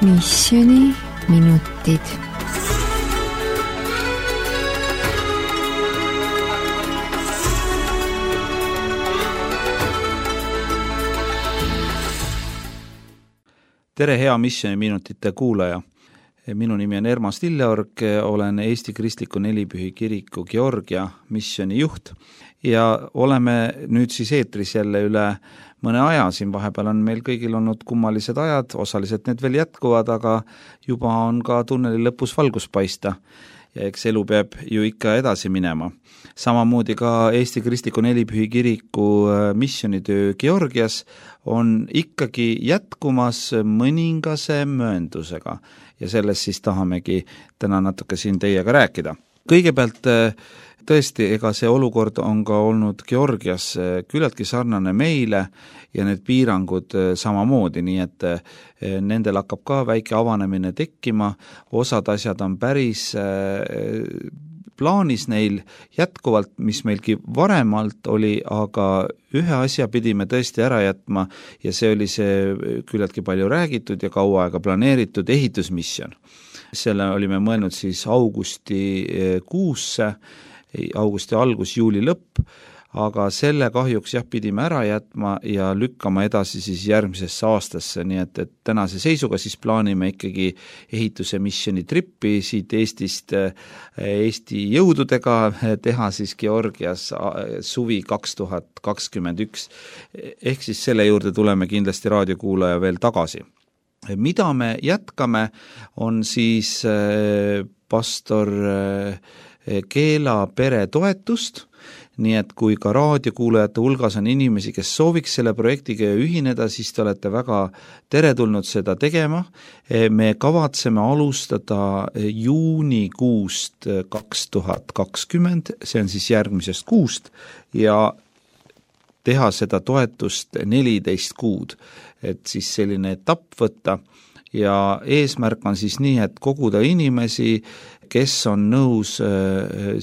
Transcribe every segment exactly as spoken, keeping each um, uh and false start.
Missioni minutid. Tere, hea Missioni minutite kuulaja. Minu nimi on Ermas Lilleorg, olen Eesti Kristliku Nelipühi Kiriku Georgia missioni juht ja oleme nüüd siis eetris jälle üle mõne aja. Siin vahepeal on meil kõigil olnud kummalised ajad, osaliselt need veel jätkuvad, aga juba on ka tunneli lõpus valgus paista ja eks elu peab ju ikka edasi minema. Samamoodi ka Eesti Kristliku Nelipühi Kiriku missionitöö Georgias on ikkagi jätkumas mõningase mööndusega ja sellest siis tahamegi täna natuke siin teiega rääkida. Kõigepealt tõesti, ega see olukord on ka olnud Georgias küllaltki sarnane meile ja need piirangud samamoodi, nii et nendel hakkab ka väike avanemine tekkima, osad asjad on päris plaanis neil jätkuvalt, mis meilgi varemalt oli, aga ühe asja pidime tõesti ära jätma ja see oli see küllaltki palju räägitud ja kaua aega planeeritud ehitusmisjon. Selle olime mõelnud siis augusti kuusse, augusti algus, juuli lõpp, aga selle kahjuks jah pidime ära jätma ja lükkama edasi siis järgmisesse aastasse, nii et, et tänase seisuga siis plaanime ikkagi ehituse missioni trippi siit Eestist Eesti jõududega teha siis Georgias suvi kaks tuhat kakskümmend üks, ehk siis selle juurde tuleme kindlasti raadiokuulaja veel tagasi. Mida me jätkame, on siis pastor Keela pere toetust, nii et kui ka raadiokuulajate hulgas on inimesi, kes sooviks selle projektiga ühineda, siis te olete väga teretulnud seda tegema. Me kavatseme alustada juunikuust kaks tuhat kakskümmend, see on siis järgmisest kuust, ja teha seda toetust neliteist kuud, et siis selline etapp võtta. Ja eesmärk on siis nii, et koguda inimesi, kes on nõus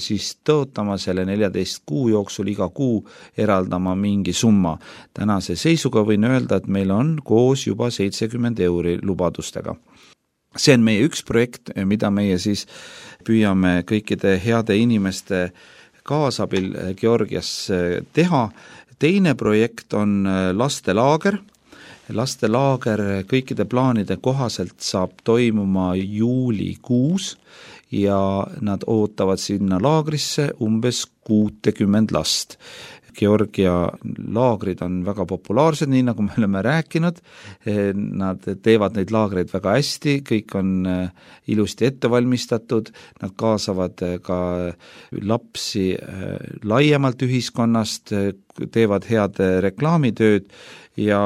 siis tõotama selle neljateist kuu jooksul iga kuu eraldama mingi summa. Tänase seisuga võin öelda, et meil on koos juba seitsekümmend euri lubadustega. See on meie üks projekt, mida meie siis püüame kõikide heade inimeste kaasabil Georgias teha. Teine projekt on lastelaager. Lastelaager kõikide plaanide kohaselt saab toimuma juulikuus ja nad ootavad sinna laagrisse umbes kuutekümmend last. Georgia laagrid on väga populaarsed, nii nagu me oleme rääkinud. Nad teevad neid laagreid väga hästi, kõik on ilusti ette valmistatud, nad kaasavad ka lapsi laiemalt ühiskonnast, teevad head reklaamitööd ja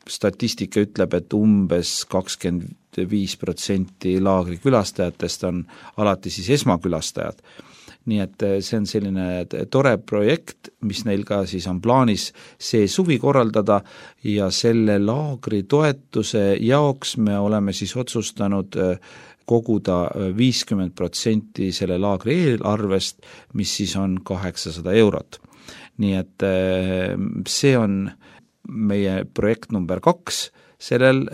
statistika ütleb, et umbes kakskümmend viis protsenti laagri külastajatest on alati siis esmakülastajad. Nii et see on selline tore projekt, mis neil ka siis on plaanis see suvi korraldada ja selle laagri toetuse jaoks me oleme siis otsustanud koguda viiskümmend protsenti selle laagri eelarvest, mis siis on kaheksasada eurot. Nii et see on meie projekt number kaks sellel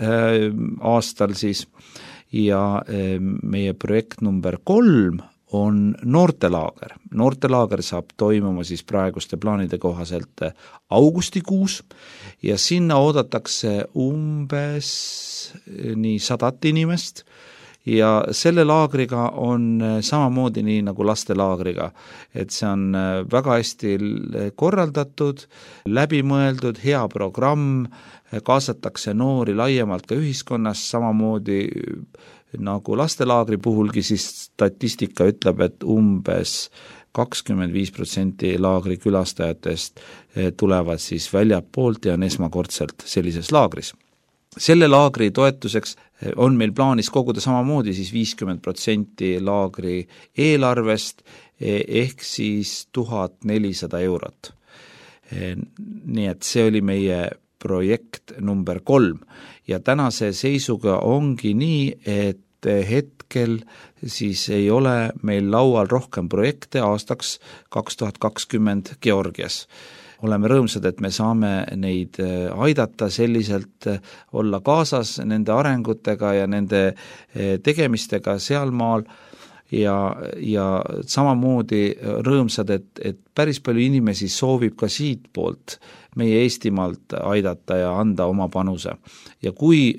aastal siis ja meie projekt number kolm on noortelaager. Noortelaager saab toimuma siis praeguste plaanide kohaselt augustikuus ja sinna oodatakse umbes nii sadat inimest ja selle laagriga on samamoodi nii nagu lastelaagriga, et see on väga hästi korraldatud, läbimõeldud, hea programm, kaasatakse noori laiemalt ka ühiskonnas, samamoodi nagu lastelaagri puhulgi, siis statistika ütleb, et umbes kakskümmend viis protsenti laagri külastajatest tulevad siis väljapoolt ja on esmakordselt sellises laagris. Selle laagri toetuseks on meil plaanis koguda samamoodi siis viiskümmend protsenti laagri eelarvest ehk siis tuhat nelisada eurot. Nii et see oli meie projekt number kolm ja tänase seisuga ongi nii, et hetkel siis ei ole meil laual rohkem projekte aastaks kaks tuhat kakskümmend Georgias. oleme rõõmsad, et me saame neid aidata selliselt olla kaasas nende arengutega ja nende tegemistega sealmaal ja, ja samamoodi rõõmsad, et, et päris palju inimesi soovib ka siit poolt meie Eestimaalt aidata ja anda oma panuse. Ja kui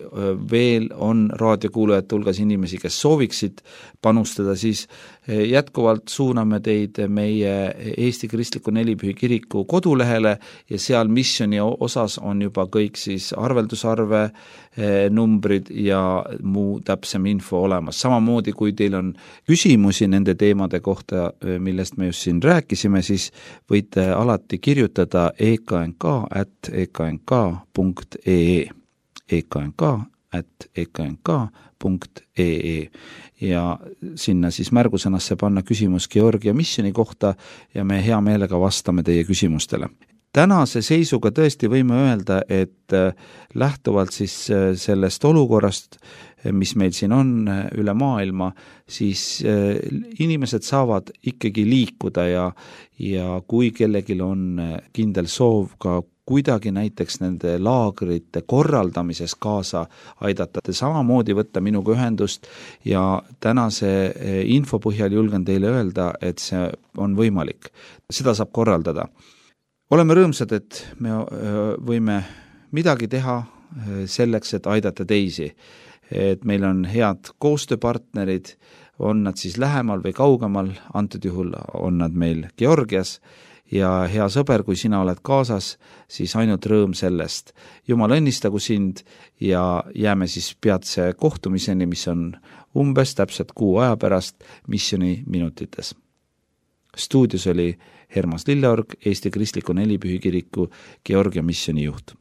veel on raadiokuulajate hulgas inimesi, kes sooviksid panustada, siis jätkuvalt suuname teid meie Eesti Kristliku Nelipühi Kiriku kodulehele ja seal missioni osas on juba kõik siis arveldusarve, numbrid ja muu täpsem info olemas. Samamoodi, kui teil on küsimusi nende teemade kohta, millest me just siin rääkisime, siis võite alati kirjutada e k n k at e k n k punkt e e e k n k at e k n k punkt e e ja sinna siis märgusõnasse panna küsimus Georgia missioni kohta ja me hea meelega vastame teie küsimustele. Tänase seisuga tõesti võime öelda, et lähtuvalt siis sellest olukorrast, mis meil siin on üle maailma, siis inimesed saavad ikkagi liikuda ja, ja kui kellelgi on kindel soov ka kuidagi näiteks nende laagrite korraldamises kaasa aidata, samamoodi võtta minuga ühendust ja tänase info põhjal julgen teile öelda, et see on võimalik. Seda saab korraldada. Oleme rõõmsad, et me võime midagi teha selleks, et aidata teisi. Et meil on head koostööpartnerid, on nad siis lähemal või kaugemal, antud juhul on nad meil Georgias ja hea sõber, kui sina oled kaasas, siis ainult rõõm sellest. Jumal õnnistagu sind ja jääme siis peatse kohtumiseni, mis on umbes täpselt kuu aja pärast missioni minutites. Stuudios oli Hermas Lilleorg, Eesti Kristliku Nelipühi Kiriku Georgia missioni juht.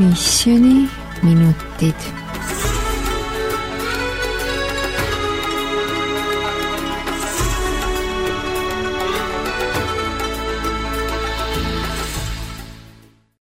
Missioni minutid.